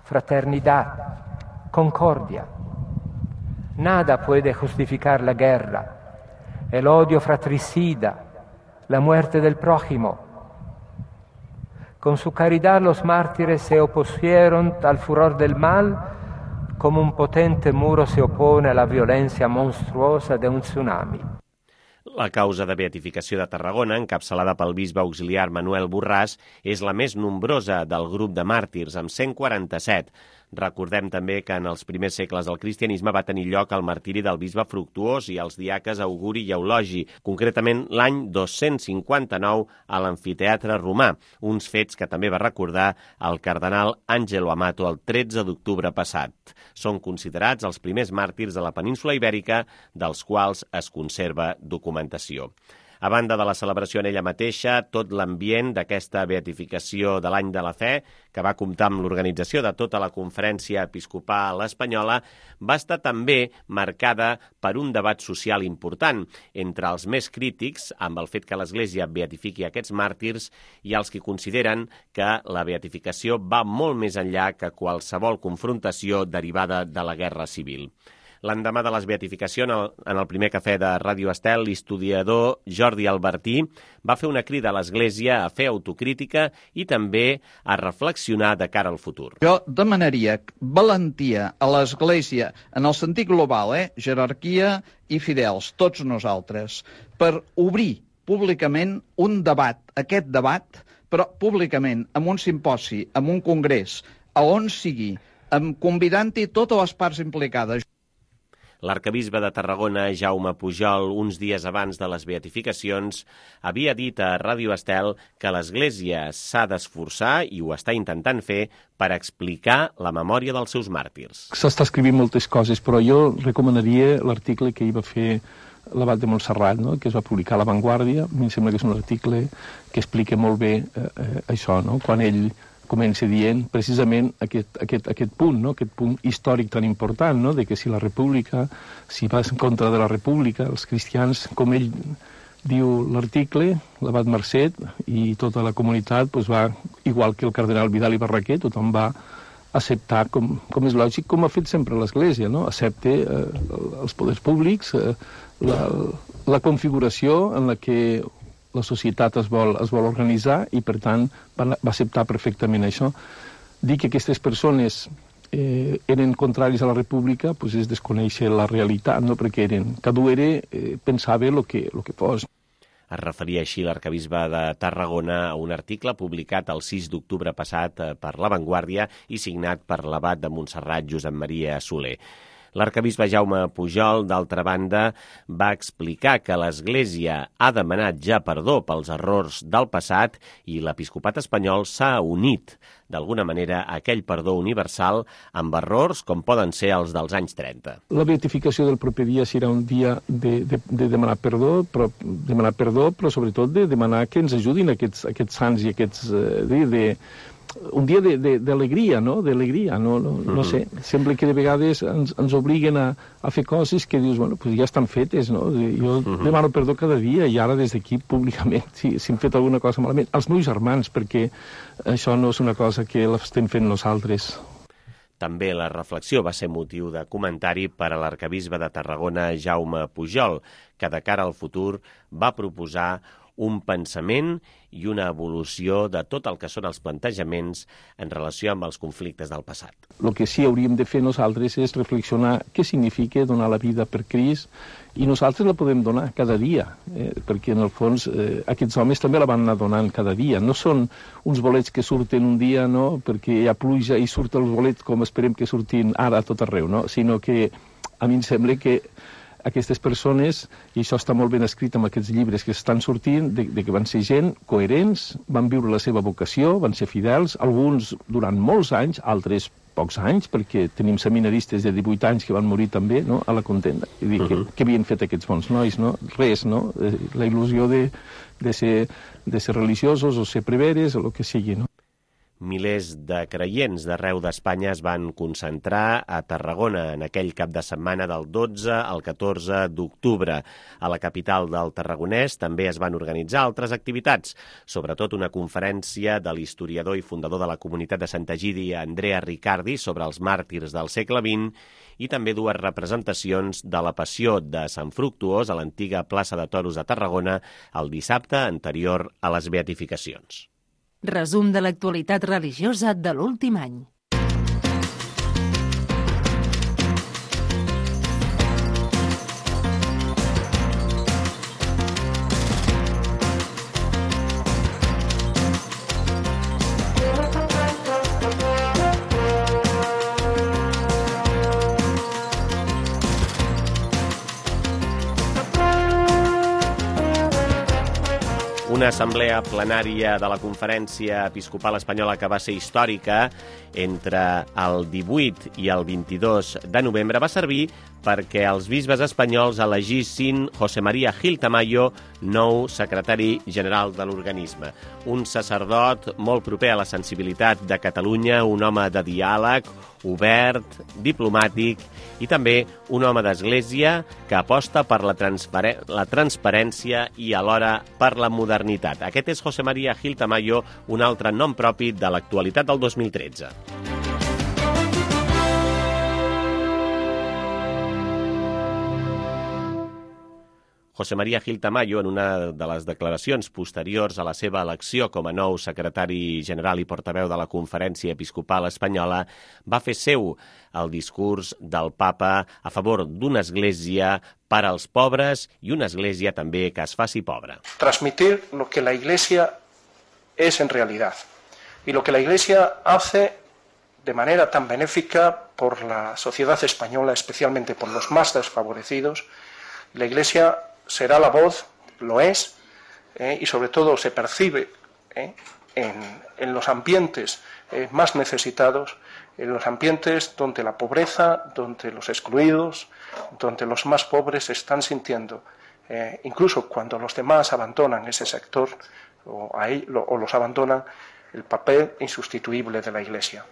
fraternidad, concordia. Nada puede justificar la guerra, el odio fratricida, la muerte del prójimo. Con su caridad los mártires se opusieron al furor del mal como un potente muro se opone a la violencia monstruosa de un tsunami. La causa de beatificació de Tarragona, encapçalada pel bisbe auxiliar Manuel Borràs, és la més nombrosa del grup de màrtirs, amb 147. Recordem també que en els primers segles del cristianisme va tenir lloc el martiri del bisbe Fructuós i els diaques Auguri i Eulogi, concretament l'any 259 a l'amfiteatre romà, uns fets que també va recordar el cardenal Angelo Amato el 13 d'octubre passat. Són considerats els primers màrtirs de la península ibèrica, dels quals es conserva documentació. A banda de la celebració en ella mateixa, tot l'ambient d'aquesta beatificació de l'any de la fe, que va comptar amb l'organització de tota la Conferència Episcopal Espanyola, va estar també marcada per un debat social important entre els més crítics amb el fet que l'Església beatifiqui aquests màrtirs i els que consideren que la beatificació va molt més enllà que qualsevol confrontació derivada de la guerra civil. L'endemà de les beatificacions, en el primer cafè de Ràdio Estel, l'historiador Jordi Albertí va fer una crida a l'Església a fer autocrítica i també a reflexionar de cara al futur. Jo demanaria valentia a l'Església en el sentit global, jerarquia i fidels, tots nosaltres, per obrir públicament un debat, aquest debat, però públicament, amb un simposi, amb un congrés, a on sigui, convidant-hi totes les parts implicades. L'arcabisbe de Tarragona, Jaume Pujol, uns dies abans de les beatificacions, havia dit a Ràdio Estel que l'Església s'ha d'esforçar, i ho està intentant fer, per explicar la memòria dels seus màrtirs. S'està escrivint moltes coses, però jo recomanaria l'article que hi va fer l'abat de Montserrat, no? Que es va publicar a La Vanguardia. A mi em sembla que és un article que explica molt bé això, no? Quan ell comença dient precisament aquest punt, no? Aquest punt històric tan important, no? De que si la república, si vas en contra de la república, els cristians, com ell diu l'article, l'abat Marcet i tota la comunitat va, igual que el cardenal Vidal i Barraquer, tothom va acceptar, com és lògic, com ha fet sempre l'Església, no? Accepta els poders públics, la configuració en la que la societat es vol organitzar i, per tant, va acceptar perfectament això. Dir que aquestes persones eren contraris a la república és desconèixer la realitat, no? Perquè cadascú pensava el que fos. Es referia així l'arcabisbe de Tarragona a un article publicat el 6 d'octubre passat per La Vanguardia i signat per l'abat de Montserrat, Josep Maria Soler. L'arcabisbe Jaume Pujol, d'altra banda, va explicar que l'Església ha demanat ja perdó pels errors del passat i l'episcopat espanyol s'ha unit, d'alguna manera, a aquell perdó universal amb errors com poden ser els dels anys 30. La beatificació del proper dia serà un dia de demanar perdó, però sobretot de demanar que ens ajudin aquests sants i aquests... un dia d'alegria, no? D'alegria, no sé. Sembla que de vegades ens obliguen a fer coses que dius, bueno, ja estan fetes, no? Jo demano perdó cada dia i ara des d'aquí públicament, si hem fet alguna cosa malament, als meus germans, perquè això no és una cosa que l'estem fent nosaltres. També la reflexió va ser motiu de comentari per a l'arcabisbe de Tarragona, Jaume Pujol, que de cara al futur va proposar un pensament i una evolució de tot el que són els plantejaments en relació amb els conflictes del passat. El que sí hauríem de fer nosaltres és reflexionar què significa donar la vida per Crist, i nosaltres la podem donar cada dia, perquè en el fons aquests homes també la van anar donant cada dia. No són uns bolets que surten un dia, no?, perquè hi ha pluja i surten els bolets com esperem que surtin ara a tot arreu, no? Sinó que a mi em sembla que aquestes persones, i això està molt ben escrit en aquests llibres que estan sortint, de que van ser gent coherents, van viure la seva vocació, van ser fidels, alguns durant molts anys, altres pocs anys, perquè tenim seminaristes de 18 anys que van morir també, no?, a la contenda. I dir, què havien fet aquests bons nois, no? Res, no? La il·lusió de ser religiosos o ser preveres o el que sigui, no? Milers de creients d'arreu d'Espanya es van concentrar a Tarragona en aquell cap de setmana del 12 al 14 d'octubre. A la capital del Tarragonès també es van organitzar altres activitats, sobretot una conferència de l'historiador i fundador de la comunitat de Santa Egídia, Andrea Riccardi, sobre els màrtirs del segle XX, i també dues representacions de la Passió de Sant Fructuós a l'antiga plaça de Toros de Tarragona el dissabte anterior a les beatificacions. Resum de l'actualitat religiosa de l'últim any. Una assemblea plenària de la Conferència Episcopal Espanyola que va ser històrica entre el 18 i el 22 de novembre va servir perquè els bisbes espanyols elegissin José María Gil Tamayo nou secretari general de l'organisme. Un sacerdot molt proper a la sensibilitat de Catalunya, un home de diàleg, obert, diplomàtic i també un home d'església que aposta per la transparència i alhora per la modernitat. Aquest és José María Gil Tamayo, un altre nom propi de l'actualitat del 2013. José María Gil Tamayo, en una de les declaracions posteriors a la seva elecció com a nou secretari general i portaveu de la Conferència Episcopal Espanyola, va fer seu el discurs del papa a favor d'una església per als pobres i una església també que es faci pobra. Transmitir lo que la Iglesia es en realidad y lo que la Iglesia hace de manera tan benéfica por la sociedad española, especialmente por los más desfavorecidos. La Iglesia será la voz, lo es, y sobre todo se percibe en los ambientes más necesitados, en los ambientes donde la pobreza, donde los excluidos, donde los más pobres se están sintiendo, incluso cuando los demás abandonan ese sector o los abandonan, el papel insustituible de la Iglesia.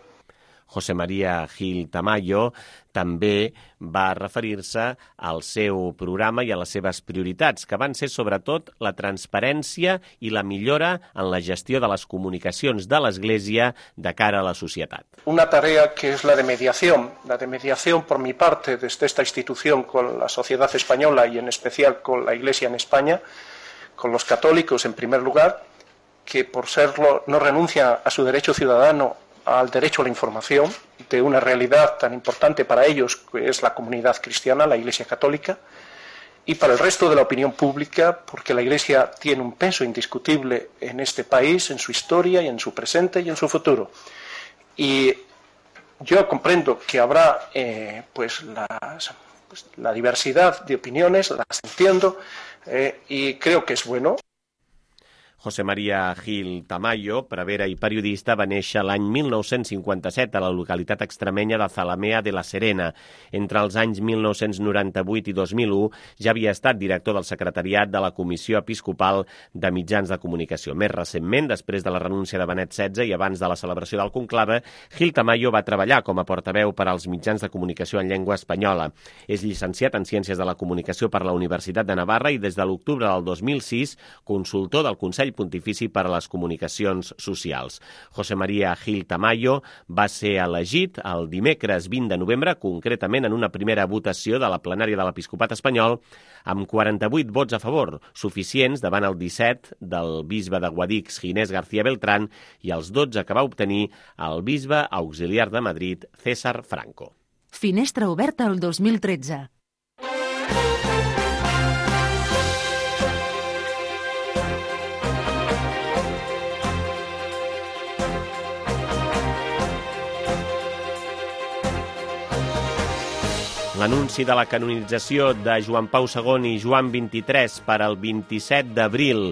José María Gil Tamayo també va referir-se al seu programa i a les seves prioritats, que van ser sobretot la transparència i la millora en la gestió de les comunicacions de l'Església de cara a la societat. Una tarea que es la de mediación por mi parte desde esta institución con la sociedad española y en especial con la Iglesia en España, con los católicos en primer lugar, que por serlo no renuncia a su derecho ciudadano al derecho a la información de una realidad tan importante para ellos que es la comunidad cristiana, la Iglesia católica, y para el resto de la opinión pública, porque la Iglesia tiene un peso indiscutible en este país, en su historia y en su presente y en su futuro. Y yo comprendo que habrá la diversidad de opiniones, las entiendo, y creo que es bueno. José María Gil Tamayo, prevere i periodista, va néixer l'any 1957 a la localitat extremenya de Zalamea de la Serena. Entre els anys 1998 i 2001 ja havia estat director del secretariat de la Comissió Episcopal de Mitjans de Comunicació. Més recentment, després de la renúncia de Benet XVI i abans de la celebració del conclave, Gil Tamayo va treballar com a portaveu per als mitjans de comunicació en llengua espanyola. És llicenciat en Ciències de la Comunicació per la Universitat de Navarra i des de l'octubre del 2006 consultor del Consell Pontifici per a les Comunicacions Socials. José María Gil Tamayo va ser elegit el dimecres 20 de novembre, concretament en una primera votació de la plenària de l'Episcopat espanyol, amb 48 vots a favor, suficients davant el 17 del bisbe de Guadix, Ginés García Beltrán, i els 12 que va obtenir el bisbe auxiliar de Madrid, César Franco. Finestra oberta el 2013. L'anunci de la canonització de Joan Pau II i Joan XXIII per al 27 d'abril,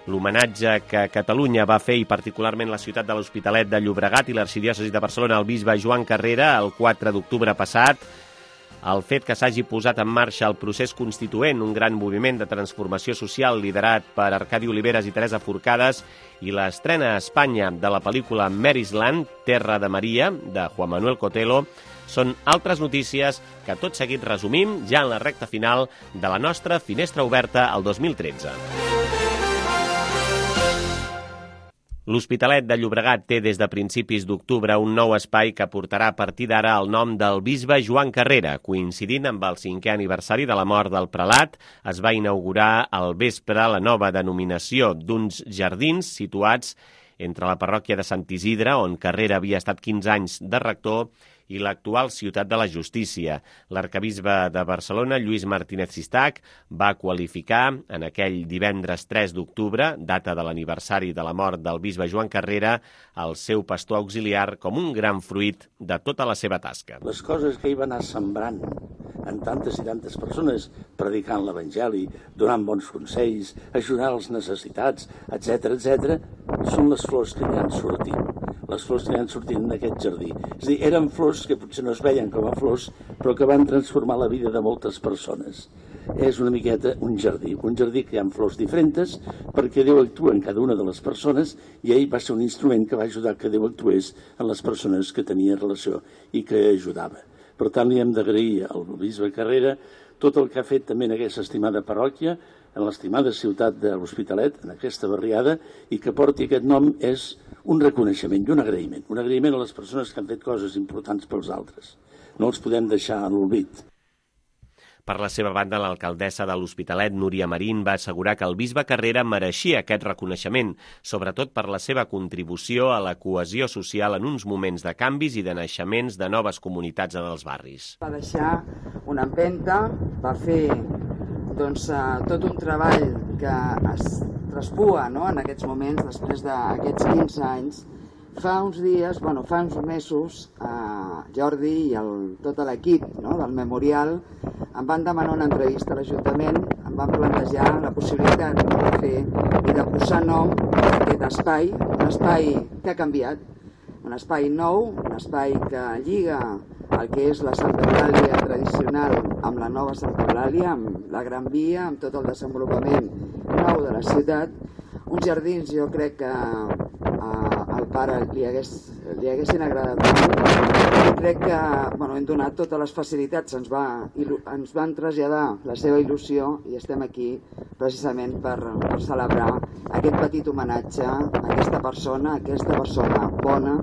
l'homenatge que Catalunya va fer, i particularment la ciutat de l'Hospitalet de Llobregat i l'arxidiòcesi de Barcelona, al bisbe Joan Carrera, el 4 d'octubre passat, El fet que s'hagi posat en marxa el procés constituent, un gran moviment de transformació social liderat per Arcadi Oliveres i Teresa Forcades, i l'estrena a Espanya de la pel·lícula Mary's Land, Terra de Maria, de Juan Manuel Cotelo, són altres notícies que tot seguit resumim ja en la recta final de la nostra Finestra Oberta al 2013. L'Hospitalet de Llobregat té des de principis d'octubre un nou espai que portarà a partir d'ara el nom del bisbe Joan Carrera. Coincidint amb el 5è aniversari de la mort del prelat, es va inaugurar al vespre la nova denominació d'uns jardins situats entre la parròquia de Sant Isidre, on Carrera havia estat 15 anys de rector, i l'actual Ciutat de la Justícia. L'arcabisbe de Barcelona, Lluís Martínez Sistac, va qualificar en aquell divendres 3 d'octubre, data de l'aniversari de la mort del bisbe Joan Carrera, el seu pastor auxiliar com un gran fruit de tota la seva tasca. Les coses que ell va anar sembrant en tantes i tantes persones, predicant l'Evangeli, donant bons consells, ajudant els necessitats, etc., són les flors que hi han sortit. Les flors que hi han sortit en aquest jardí. És a dir, eren flors que potser no es veien com a flors, però que van transformar la vida de moltes persones. És una miqueta un jardí que hi ha flors diferents, perquè Déu actua en cada una de les persones, i ell va ser un instrument que va ajudar que Déu actués en les persones que tenia relació i que ajudava. Per tant, li hem d'agrair al bisbe Carrera tot el que ha fet també en aquesta estimada parròquia, en l'estimada ciutat de l'Hospitalet, en aquesta barriada, i que porti aquest nom és un reconeixement i un agraïment a les persones que han fet coses importants pels altres. No els podem deixar en l'oblit. Per la seva banda, l'alcaldessa de l'Hospitalet, Núria Marín, va assegurar que el bisbe Carrera mereixia aquest reconeixement, sobretot per la seva contribució a la cohesió social en uns moments de canvis i de naixements de noves comunitats en els barris. Va deixar una empenta, va fer tot un treball que es traspua en aquests moments, després d'aquests 15 anys. Fa uns mesos, Jordi i tot l'equip del Memorial em van demanar una entrevista a l'Ajuntament, em van plantejar la possibilitat de fer i de posar nom a aquest espai, un espai que ha canviat, un espai nou, un espai que lliga el que és la Santa Eulàlia tradicional amb la nova Santa Eulàlia, amb la Gran Via, amb tot el desenvolupament nou de la ciutat. Uns jardins, jo crec que al pare li haguessin agradat molt. Crec que hem donat totes les facilitats, ens van traslladar la seva il·lusió i estem aquí precisament per celebrar aquest petit homenatge a aquesta persona bona.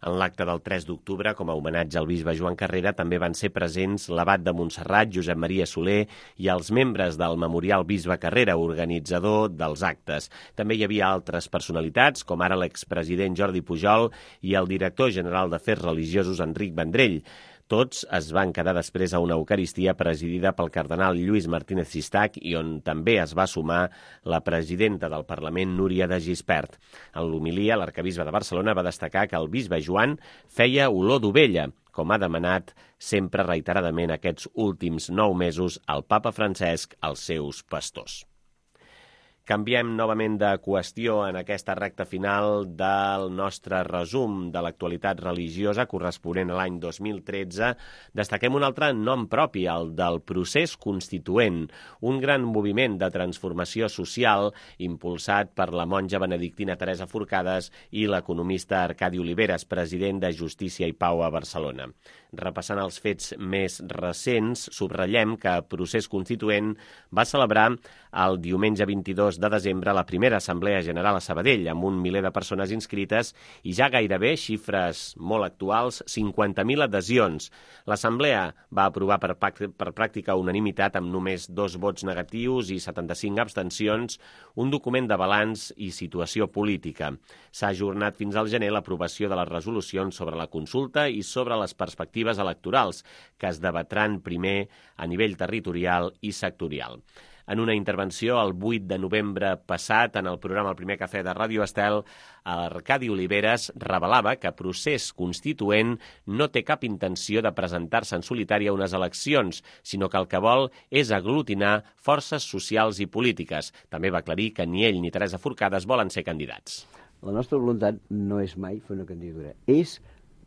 En l'acte del 3 d'octubre, com a homenatge al bisbe Joan Carrera, també van ser presents l'abat de Montserrat, Josep Maria Soler, i els membres del Memorial Bisbe Carrera, organitzador dels actes. També hi havia altres personalitats, com ara l'expresident Jordi Pujol i el director general d'Afers Religiosos, Enric Vendrell. Tots es van quedar després a una eucaristia presidida pel cardenal Lluís Martínez Sistac i on també es va sumar la presidenta del Parlament, Núria de Gispert. En l'homilia, l'arcabisbe de Barcelona va destacar que el bisbe Joan feia olor d'ovella, com ha demanat sempre reiteradament aquests últims 9 mesos el papa Francesc als seus pastors. Canviem novament de qüestió en aquesta recta final del nostre resum de l'actualitat religiosa corresponent a l'any 2013. Destaquem un altre nom propi, el del procés constituent, un gran moviment de transformació social impulsat per la monja benedictina Teresa Forcades i l'economista Arcadi Oliveres, president de Justícia i Pau a Barcelona. Repassant els fets més recents, subratllem que Procés Constituent va celebrar el diumenge 22 de desembre la primera Assemblea General a Sabadell, amb 1 miler de persones inscrites i ja gairebé, xifres molt actuals, 50.000 adhesions. L'Assemblea va aprovar per pràctica unanimitat, amb només 2 vots negatius i 75 abstencions, un document de balanç i situació política. S'ha ajornat fins al gener l'aprovació de les resolucions sobre la consulta i sobre les perspectives electorals, que es debatran primer a nivell territorial i sectorial. En una intervenció el 8 de novembre passat en el programa El Primer Cafè de Ràdio Estel, Arcadi Oliveres revelava que Procés Constituent no té cap intenció de presentar-se en solitari a unes eleccions, sinó que el que vol és aglutinar forces socials i polítiques. També va aclarir que ni ell ni Teresa Forcades volen ser candidats. La nostra voluntat no és mai fer una candidatura, és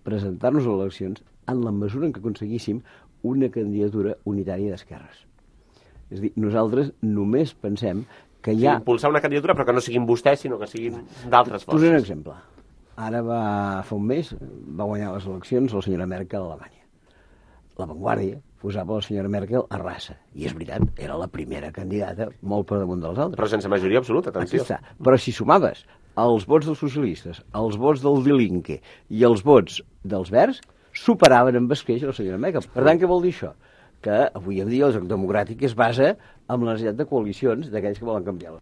presentar-nos a eleccions en la mesura en què aconseguíssim una candidatura unitària d'esquerres. És a dir, nosaltres només pensem que hi ha... Impulsar una candidatura, però que no siguin vostès, sinó que siguin d'altres forces. Posaré un exemple. Ara fa un mes va guanyar les eleccions la senyora Merkel a Alemanya. La Vanguardia posava la senyora Merkel a raça. I és veritat, era la primera candidata molt per damunt dels altres. Però sense majoria absoluta, atenció. Però si sumaves els vots dels socialistes, els vots del Die Linke i els vots dels Verds, superaven amb escreix la senyora Merkel. Per tant, què vol dir això? Que avui en dia el joc democràtic es basa en la necessitat de coalicions d'aquells que volen canviar-la.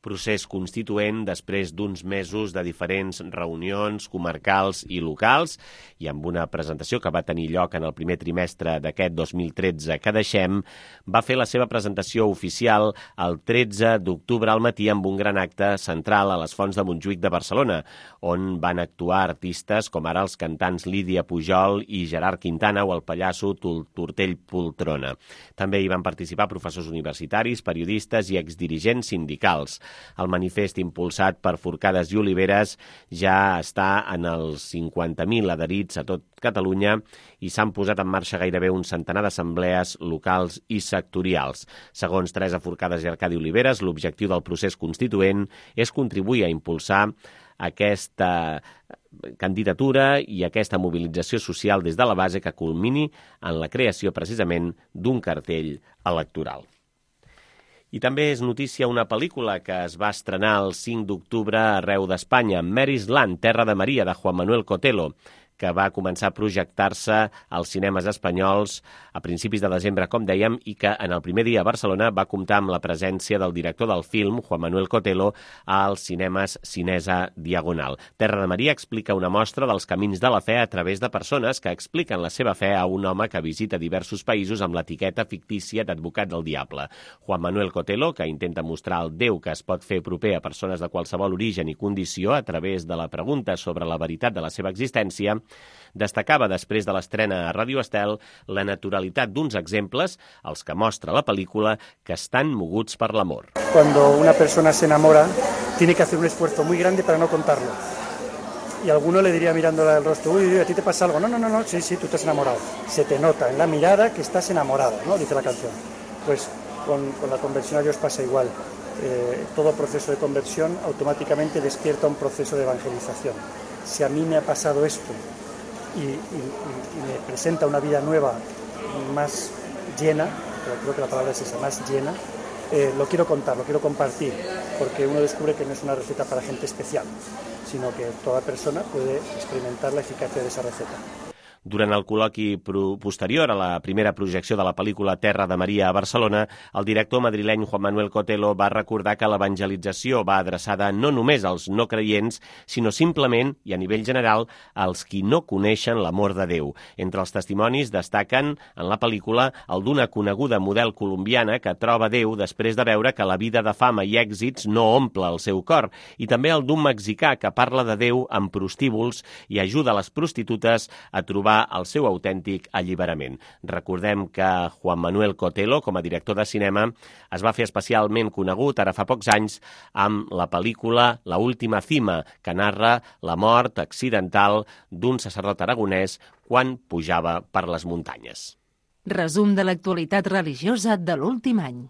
Procés constituent després d'uns mesos de diferents reunions comarcals i locals i amb una presentació que va tenir lloc en el primer trimestre d'aquest 2013 que deixem, va fer la seva presentació oficial el 13 d'octubre al matí amb un gran acte central a les Fonts de Montjuïc de Barcelona, on van actuar artistes com ara els cantants Lídia Pujol i Gerard Quintana o el pallasso Tortell Poltrona. També hi van participar professors universitaris, periodistes i exdirigents sindicals. El manifest impulsat per Forcades i Oliveres ja està en els 50.000 adherits a tot Catalunya i s'han posat en marxa gairebé un centenar d'assemblees locals i sectorials. Segons Teresa Forcades i Arcadi Oliveres, l'objectiu del procés constituent és contribuir a impulsar aquesta candidatura i aquesta mobilització social des de la base que culmini en la creació precisament d'un cartell electoral. I també és notícia una pel·lícula que es va estrenar el 5 d'octubre arreu d'Espanya, Mary's Land, Terra de Maria, de Juan Manuel Cotelo, que va començar a projectar-se als cinemes espanyols a principis de desembre, com dèiem, i que en el primer dia a Barcelona va comptar amb la presència del director del film, Juan Manuel Cotelo, als cinemes Cinesa Diagonal. Terra de Maria explica una mostra dels camins de la fe a través de persones que expliquen la seva fe a un home que visita diversos països amb l'etiqueta fictícia d'advocat del diable. Juan Manuel Cotelo, que intenta mostrar el Déu que es pot fer proper a persones de qualsevol origen i condició a través de la pregunta sobre la veritat de la seva existència, destacava després de l'estrena a Radio Estel la naturalitat d'uns exemples, els que mostra la pel·lícula, que estan moguts per l'amor. Cuando una persona se enamora, tiene que hacer un esfuerzo muy grande para no contarlo. Y alguno le diría mirándola del rostro, uy, ¿a ti te pasa algo? No, sí, tú te has enamorado. Se te nota en la mirada que estás enamorado, ¿no? Dice la canción. Pues con la conversión a Dios pasa igual. Todo proceso de conversión automáticamente despierta un proceso de evangelización. Si a mí me ha pasado esto y me presenta una vida nueva, más llena, pero creo que la palabra es esa, más llena, lo quiero contar, lo quiero compartir, porque uno descubre que no es una receta para gente especial, sino que toda persona puede experimentar la eficacia de esa receta. Durant el col·loqui posterior a la primera projecció de la pel·lícula Terra de Maria a Barcelona, el director madrileny Juan Manuel Cotelo va recordar que l'evangelització va adreçada no només als no creients, sinó simplement, i a nivell general, als qui no coneixen l'amor de Déu. Entre els testimonis destaquen en la pel·lícula el d'una coneguda model colombiana que troba Déu després de veure que la vida de fama i èxits no omple el seu cor, i també el d'un mexicà que parla de Déu amb prostíbuls i ajuda les prostitutes a trobar el seu autèntic alliberament. Recordem que Juan Manuel Cotelo, com a director de cinema, es va fer especialment conegut ara fa pocs anys amb la pel·lícula La última cima, que narra la mort accidental d'un sacerdot aragonès quan pujava per les muntanyes. Resum de l'actualitat religiosa de l'últim any.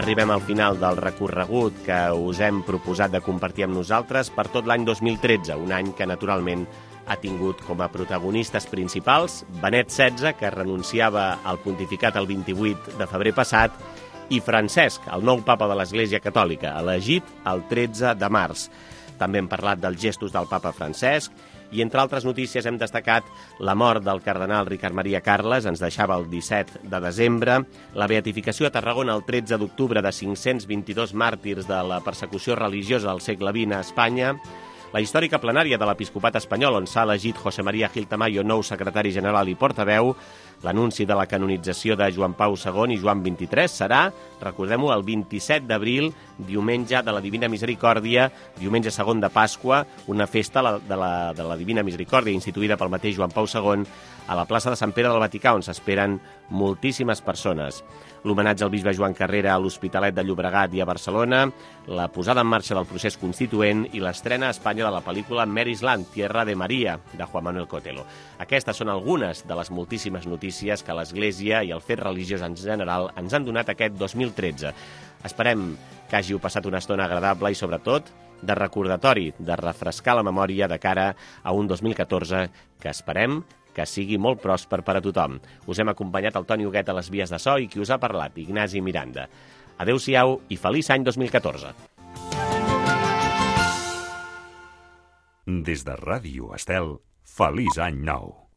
Arribem al final del recorregut que us hem proposat de compartir amb nosaltres per tot l'any 2013, un any que naturalment ha tingut com a protagonistes principals Benet XVI, que renunciava al pontificat el 28 de febrer passat, i Francesc, el nou papa de l'Església Catòlica, elegit el 13 de març. També hem parlat dels gestos del papa Francesc i, entre altres notícies, hem destacat la mort del cardenal Ricard Maria Carles, ens deixava el 17 de desembre, la beatificació a Tarragona el 13 d'octubre de 522 màrtirs de la persecució religiosa del segle XX a Espanya, la històrica plenària de l'Episcopat espanyol, on s'ha elegit José María Gil Tamayo, nou secretari general i portaveu, L'anunci de la canonització de Joan Pau II i Joan XXIII serà, recordem-ho, el 27 d'abril, diumenge de la Divina Misericòrdia, diumenge segon de Pasqua, una festa de la Divina Misericòrdia instituïda pel mateix Joan Pau II a la plaça de Sant Pere del Vaticà, on s'esperen moltíssimes persones. L'homenatge al bisbe Joan Carrera a l'Hospitalet de Llobregat i a Barcelona, la posada en marxa del procés constituent i l'estrena a Espanya de la pel·lícula Mary's Land, Tierra de Maria, de Juan Manuel Cotelo. Aquestes són algunes de les moltíssimes notícies que l'Església i el fet religiós en general ens han donat aquest 2013. Esperem que hàgiu passat una estona agradable i, sobretot, de recordatori, de refrescar la memòria de cara a un 2014 que esperem que sigui molt pròsper per a tothom. Us hem acompanyat el Toni Huguet a les vies de so i qui us ha parlat, Ignasi Miranda. Adéu-siau i feliç any 2014. Des de Ràdio Estel, feliç any nou.